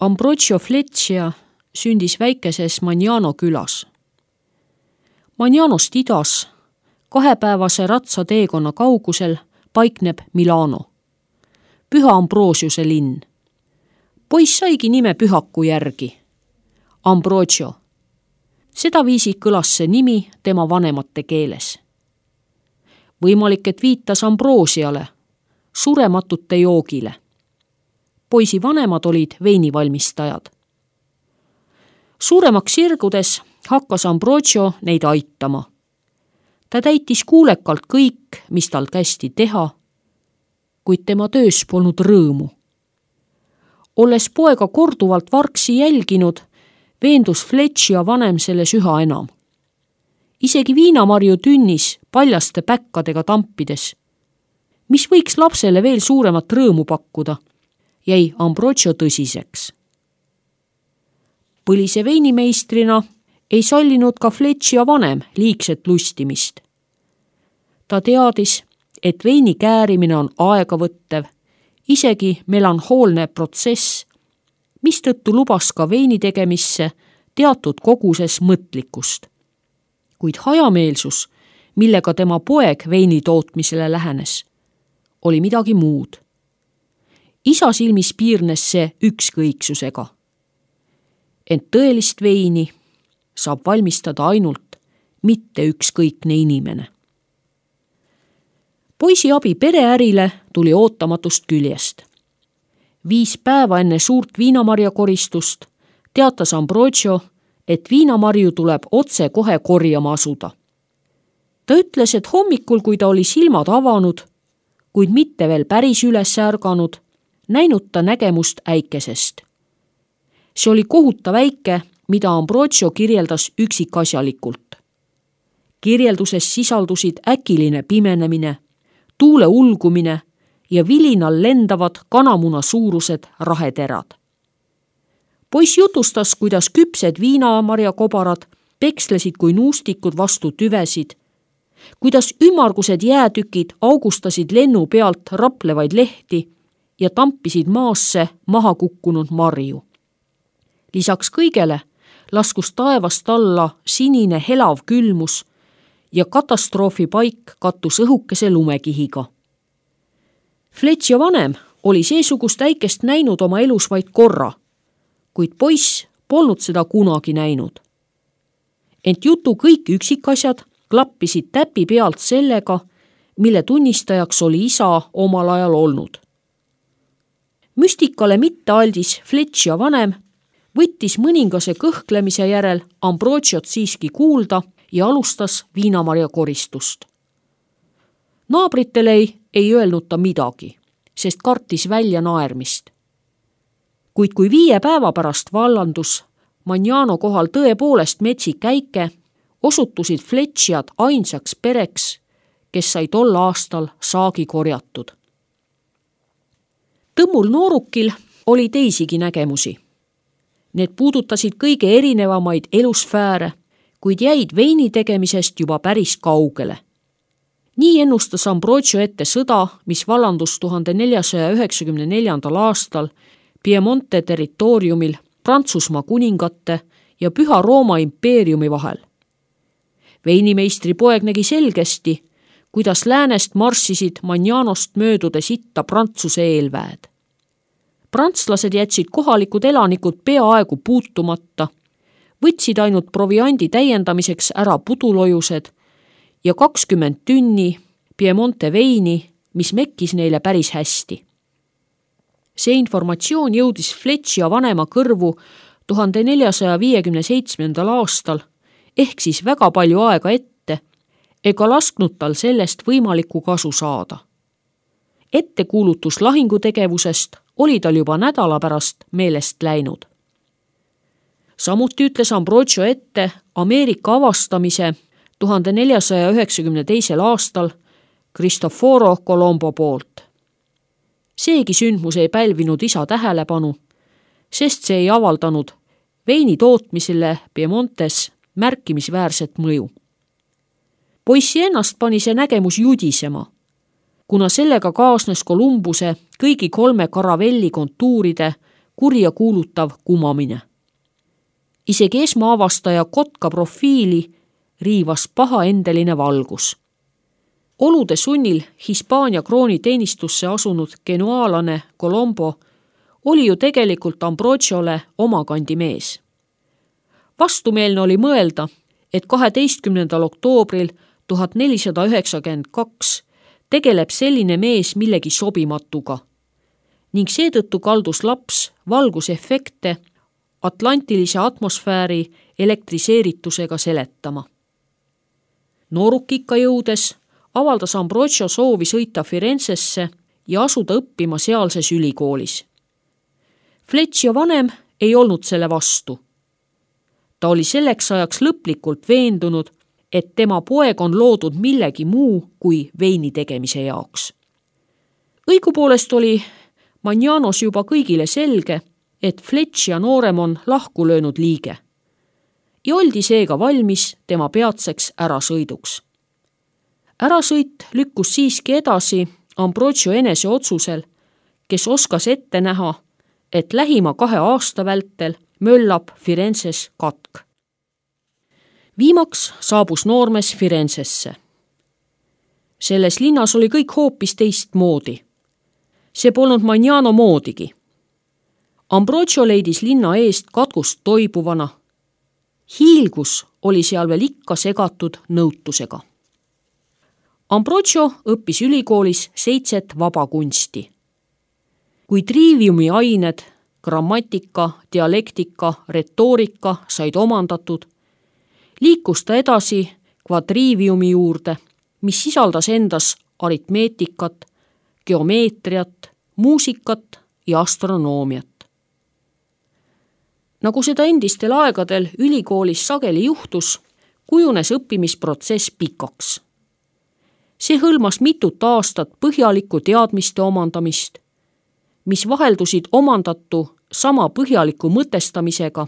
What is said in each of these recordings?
Ambrogio Fleccia sündis väikeses Magnano külas. Magnanost idas 2-päevase ratsateekonna kaugusel paikneb Milano, Püha Ambrosiuse linn. Poiss saigi nime pühaku järgi, Ambrogio. Sedaviisi kõlas see nimi tema vanemate keeles. Võimalik, et viitas Ambrosiale, surematute joogile. Poisi vanemad olid veinivalmistajad. Suuremaks sirgudes hakkas Ambrogio neid aitama. Ta täitis kuulekalt kõik, mis tal kästi teha, kuid tema töös polnud rõõmu. Olles poega korduvalt vargsi jälginud, veendus Fleccia vanem selles üha enam. Isegi viinamarju tünnis paljaste päkkadega tampides, mis võiks lapsele veel suuremat rõõmu pakkuda, jäi Ambrogio tõsiseks. Põlise veinimeistrina ei sallinud ka Fleccia vanem liigset lustimist. Ta teadis, et veini käärimine on aegavõttev, isegi melanhoolne protsess, mistõttu lubas ka veini tegemisse teatud koguses mõtlikkust. Kuid hajameelsus, millega tema poeg veini tootmisele lähenes, oli midagi muud. Isa silmis piirnes see ükskõiksusega. Ent tõelist veini saab valmistada ainult mitte ükskõikne inimene. Poisi abi pereärile tuli ootamatust küljest. 5 päeva enne suurt viinamarjakoristust teatas Ambrogio, et viinamarju tuleb otse kohe korjama asuda. Ta ütles, et hommikul, kui ta oli silmad avanud, kuid mitte veel päris üles ärganud, näinud ta nägemust äikesest. See oli kohutav äike, mida Ambrogio kirjeldas üksikasjalikult. Kirjelduses sisaldusid äkiline pimenemine, tuule ulgumine ja vilinal lendavad kanamuna suurused raheterad. Poiss jutustas, kuidas küpsed viinamarjakobarad pekslesid kui nuustikud vastu tüvesid, kuidas ümmargused jäätükid augustasid lennu pealt raplevaid lehti ja tampisid maasse maha kukkunud marju. Lisaks kõigele laskus taevast alla sinine helav külmus ja katastroofipaik kattus õhukese lumekihiga. Fleccia vanem oli seesugust äikest näinud oma elus vaid korra, kuid poiss polnud seda kunagi näinud. Ent jutu kõik üksikasjad klappisid täpi pealt sellega, mille tunnistajaks oli isa omal ajal olnud. Müstikale mittealdis Fleccia vanem võttis mõningase kõhklemise järel Ambrogiot siiski kuulda ja alustas viinamarja koristust. Naabritele ei öelnud ta midagi, sest kartis välja naermist. Kuid kui 5 päeva pärast vallandus Magnano kohal tõepoolest metsik äike, osutusid Flecciad ainsaks pereks, kes sai tol aastal saagi korjatud. Tõmmul noorukil oli teisigi nägemusi. Need puudutasid kõige erinevamaid elusfääre, kuid jäid veini tegemisest juba päris kaugele. Nii ennustas Ambrogio ette sõda, mis vallandus 1494. aastal Piemonte territooriumil Prantsusmaa kuningate ja Püha Rooma impeeriumi vahel. Veinimeistri poeg nägi selgesti, kuidas läänest marssisid Magnanost möödudes itta Prantsuse eelväed. Prantslased jätsid kohalikud elanikud peaaegu puutumata, võtsid ainult proviandi täiendamiseks ära pudulojused ja 20 tünni Piemonte veini, mis mekkis neile päris hästi. See informatsioon jõudis Fleccia vanema kõrvu 1457. aastal, ehk siis väga palju aega ette, ega lasknud tal sellest võimalikku kasu saada. Ettekuulutus lahingutegevusest oli tal juba nädala pärast meelest läinud. Samuti ütles Ambrogio ette Ameerika avastamise 1492. aastal Cristoforo Colombo poolt. Seegi sündmus ei pälvinud isa tähelepanu, sest see ei avaldanud veini tootmisele Piemontes märkimisväärset mõju. Poissi ennast pani see nägemus judisema, kuna sellega kaasnes Columbuse kõigi 3 karavelli kontuuride kurja kuulutav kumamine. Isegi esmaavastaja kotka profiili riivas pahaendeline valgus. Olude sunnil Hispaania krooni teenistusse asunud genuaalane Colombo oli ju tegelikult Ambrogiole omakandi mees. Vastumeelne oli mõelda, et 12. oktoobril 1492 tegeleb selline mees millegi sobimatuga ning seetõttu kaldus laps valgusefekte atlantilise atmosfääri elektriseeritusega seletama. Noorukikka jõudes avaldas Ambrogio soovi sõita Firenzesse ja asuda õppima sealses ülikoolis. Flecchio vanem ei olnud selle vastu. Ta oli selleks ajaks lõplikult veendunud, et tema poeg on loodud millegi muu kui veini tegemise jaoks. Õigupoolest oli Magnanos juba kõigile selge, et Flecchia noorem on lahku löönud liige ja oldi seega valmis tema peatseks ärasõiduks. Ärasõit lükkus siiski edasi Ambrogio enese otsusel, kes oskas ette näha, et lähima 2 aasta vältel möllab Firenzes katk. Viimaks saabus noormees Firenzesse. Selles linnas oli kõik hoopis teistmoodi. See polnud Magnano moodigi. Ambrogio leidis linna eest katkust toibuvana. Hiilgus oli seal veel ikka segatud nõutusega. Ambrogio õppis ülikoolis 7 vabakunsti. Kui triviumi ained, grammatika, dialektika, retoorika said omandatud, liikus ta edasi kvadriviumi juurde, mis sisaldas endas aritmeetikat, geomeetriat, muusikat ja astronoomiat. Nagu seda endistel aegadel ülikoolis sageli juhtus, kujunes õppimisprotsess pikaks. See hõlmas mitut aastat põhjalikku teadmiste omandamist, mis vaheldusid omandatu sama põhjaliku mõtestamisega,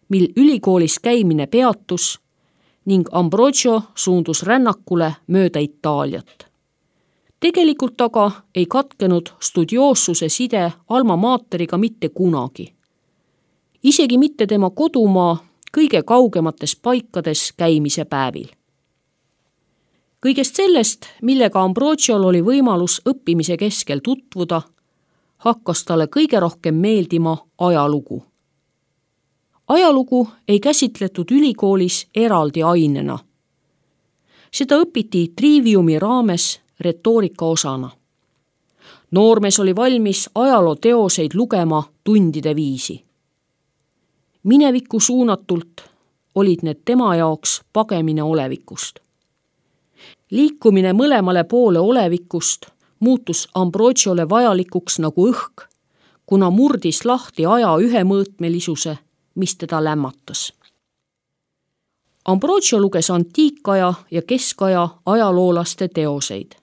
mil ülikoolis käimine peatus ning Ambrogio suundus rännakule mööda Itaaliat. Tegelikult aga ei katkenud studioossuse side alma materiga mitte kunagi. Isegi mitte tema kodumaa kõige kaugemates paikades käimise päevil. Kõigest sellest, millega Ambrogiol oli võimalus õppimise keskel tutvuda, hakkas talle kõige rohkem meeldima ajalugu. Ajalugu ei käsitletud ülikoolis eraldi ainena. Seda õpiti triviumi raames retoorika osana. Noormees oli valmis ajalooteoseid lugema tundide viisi. Minevikku suunatult olid need tema jaoks pagemine olevikust. Liikumine mõlemale poole olevikust muutus Ambrogiole vajalikuks nagu õhk, kuna murdis lahti aja ühemõõtmelisuse, mis teda lämmatas. Ambrogio luges antiikaja ja keskaja ajaloolaste teoseid.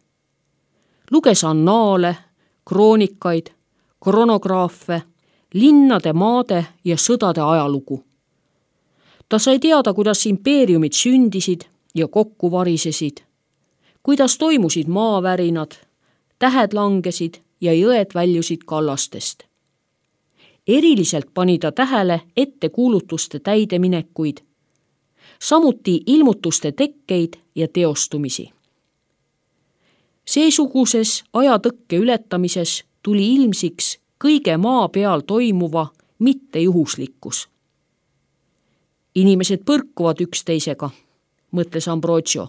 Luges annaale, kroonikaid, kronograafe, linnade, maade ja sõdade ajalugu. Ta sai teada, kuidas impeeriumid sündisid ja kokku varisesid, kuidas toimusid maavärinad, tähed langesid ja jõed väljusid kallastest. Eriliselt pani ta tähele ettekuulutuste täideminekuid, samuti ilmutuste tekkeid ja teostumisi. Seesuguses ajatõkke ületamises tuli ilmsiks kõige maa peal toimuva mittejuhuslikkus. Inimesed põrkuvad üksteisega, mõtles Ambrogio.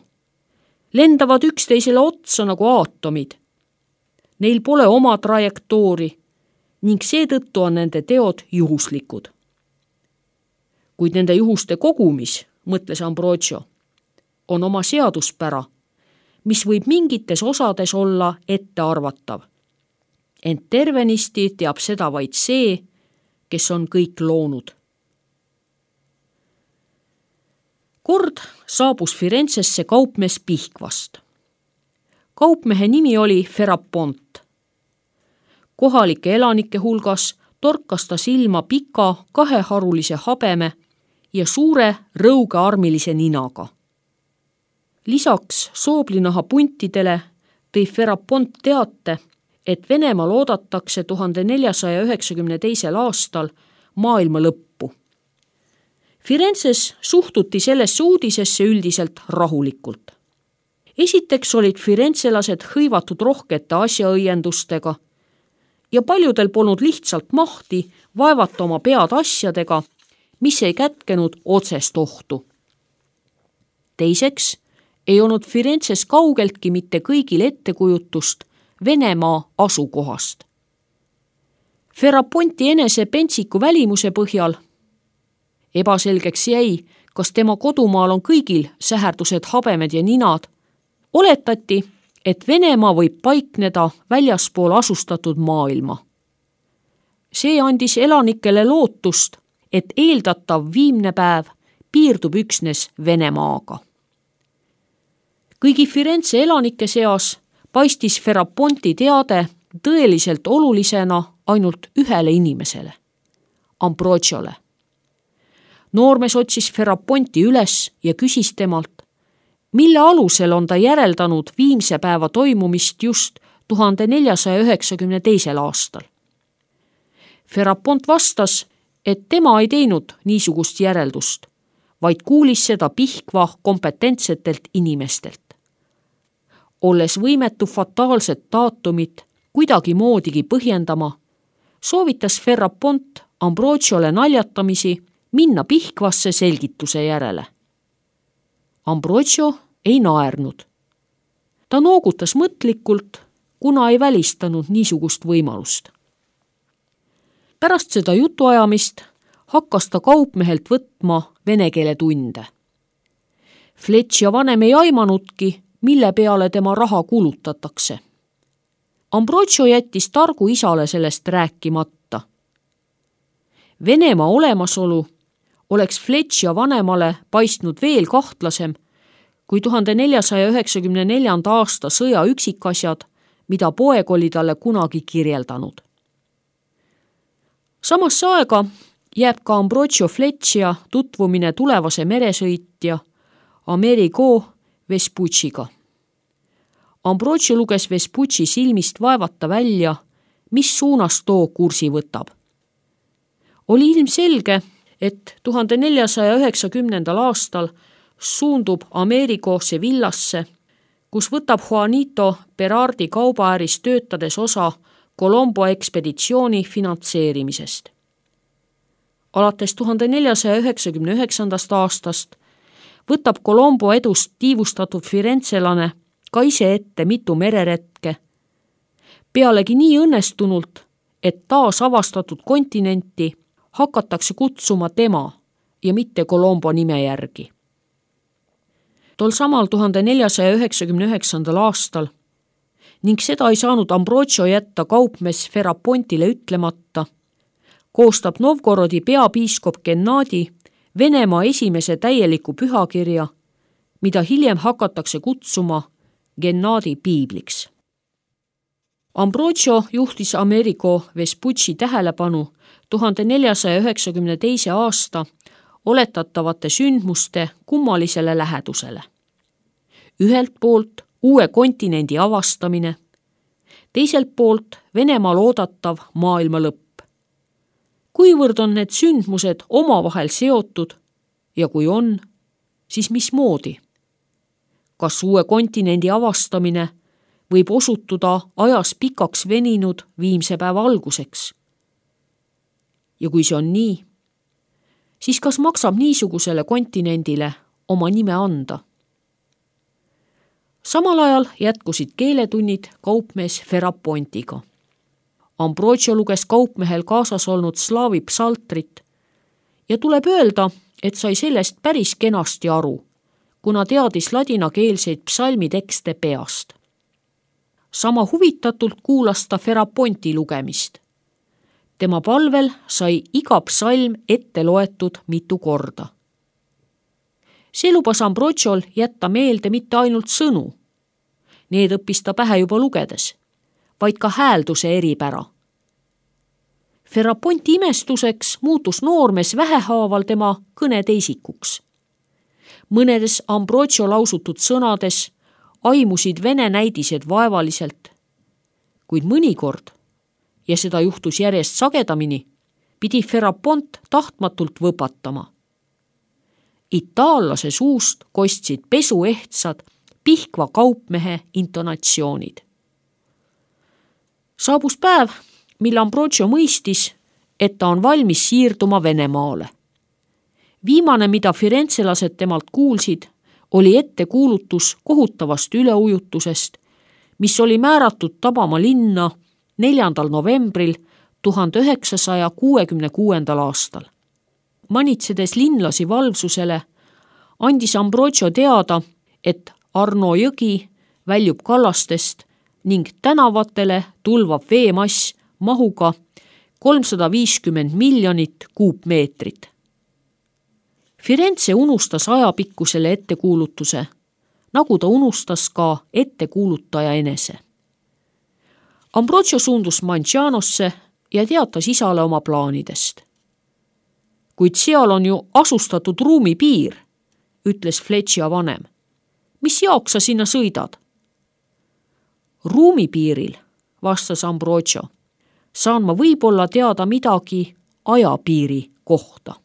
Lendavad üksteisele otsa nagu aatomid. Neil pole oma trajektoori ning seetõttu on nende teod juhuslikud. Kuid nende juhuste kogumis, mõtles Ambrogio, on oma seaduspära, mis võib mingites osades olla ettearvatav. Ent tervenisti teab seda vaid see, kes on kõik loonud. Kord saabus Firenzesse kaupmees Pihkvast. Kaupmehe nimi oli Ferapont. Kohalike elanike hulgas torkas ta silma pika kaheharulise habeme ja suure rõugearmilise ninaga. Lisaks sooblinaha puntidele tõi Ferapont teate, et Venemaal oodatakse 1492. aastal maailma lõppu. Firenzes suhtuti sellesse uudisesse üldiselt rahulikult. Esiteks olid firenzelased hõivatud rohkete asjaõiendustega ja paljudel polnud lihtsalt mahti vaevata oma pead asjadega, mis ei kätkenud otsest ohtu. Teiseks ei olnud Firenzes kaugeltki mitte kõigil ettekujutust Venemaa asukohast. Ferraponti enese pentsiku välimuse põhjal ebaselgeks jäi, kas tema kodumaal on kõigil säherdused, habemed ja ninad. Oletati, et Venemaa võib paikneda väljaspool asustatud maailma. See andis elanikele lootust, et eeldatav viimne päev piirdub üksnes Venemaaga. Kõigi Firenze elanike seas paistis Ferraponti teade tõeliselt olulisena ainult ühele inimesele, Ambrogiole. Noormees otsis Ferraponti üles ja küsis temalt, mille alusel on ta järeldanud viimse päeva toimumist just 1492. aastal. Ferrapont vastas, et tema ei teinud niisugust järeldust, vaid kuulis seda Pihkva kompetentsetelt inimestelt. Olles võimetu fataalset daatumit kuidagi moodigi põhjendama, soovitas Ferrapont Ambrogiole naljatamisi minna Pihkvasse selgituse järele. Ambrogio ei naernud. Ta noogutas mõtlikult, kuna ei välistanud niisugust võimalust. Pärast seda jutuajamist hakkas ta kaupmehelt võtma vene keele tunde. Fletch vanem ei aimanudki, mille peale tema raha kulutatakse. Ambrogio jättis targu isale sellest rääkimata. Venemaa olemasolu oleks Fletch vanemale paistnud veel kahtlasem kui 1494. aasta sõja üksikasjad, mida poeg oli talle kunagi kirjeldanud. Samasse aega jääb ka Ambrogio Fletchia tutvumine tulevase meresõitja Amerigo Vespucciga. Ambrogio luges Vespucci silmist vaevata välja, mis suunas too kursi võtab. Oli ilmselge, et 1490. aastal suundub Amerigo Sevillasse, kus võtab Juanito Berardi kaubaäris töötades osa Colombo ekspeditsiooni finantseerimisest. Alates 1499. aastast võtab Colombo edust tiivustatud firenzelane ka ise ette mitu mereretke, pealegi nii õnnestunult, et taas avastatud kontinenti hakatakse kutsuma tema ja mitte Colombo nime järgi. Tol samal 1499. aastal ning seda ei saanud Ambrogio jätta kaupmees Ferrapontile ütlemata, koostab Novgorodi peapiiskop Gennadi Venemaa esimese täieliku pühakirja, mida hiljem hakatakse kutsuma Gennadi piibliks. Ambrogio juhtis Amerigo Vespucci tähelepanu 1492. aasta oletatavate sündmuste kummalisele lähedusele. Ühelt poolt uue kontinendi avastamine, teiselt poolt Venemaal oodatav maailma lõpp. Kuivõrd on need sündmused omavahel seotud ja kui on, siis mismoodi? Kas uue kontinendi avastamine võib osutuda ajas pikaks veninud viimse päeva alguseks? Ja kui see on nii, siis kas maksab niisugusele kontinendile oma nime anda? Samal ajal jätkusid keeletunnid kaupmees Ferrapontiga. Ambrogio luges kaupmehel kaasas olnud slaavi psaltrit ja tuleb öelda, et sai sellest päris kenasti aru, kuna teadis ladinakeelseid psalmitekste peast. Sama huvitatult kuulas ta Ferraponti lugemist. Tema palvel sai iga psalm ette loetud mitu korda. See lubas Ambrogiol jätta meelde mitte ainult sõnu, need õppis ta pähe juba lugedes, vaid ka häälduse eripära. Ferraponti imestuseks muutus noormees vähehaaval tema kõneteisikuks. Mõnedes Ambrogio lausutud sõnades aimusid vene näidised vaevaliselt, kuid mõnikord, ja seda juhtus järjest sagedamini, pidi Ferapont tahtmatult võpatama. Itaallase suust kostsid pesuehtsad Pihkva kaupmehe intonatsioonid. Saabus päev, mil Ambrogio mõistis, et ta on valmis siirduma Venemaale. Viimane, mida firenzelased temalt kuulsid, oli ettekuulutus kohutavast üleujutusest, mis oli määratud tabama linna 4. novembril 1966. aastal. Manitsedes linlasi valvsusele, andis Ambrogio teada, et Arno jõgi väljub kallastest ning tänavatele tulvab veemass mahuga 350 miljonit kuupmeetrit. Firenze unustas ajapikkusele ettekuulutuse, nagu ta unustas ka ettekuulutaja enese. Ambrogio suundus Mancianosse ja teatas isale oma plaanidest. Kuid seal on ju asustatud ruumipiir, ütles Fleccia vanem. Mis jaoks sa sinna sõidad? Ruumipiiril, vastas Ambrogio, saan ma võib-olla teada midagi ajapiiri kohta.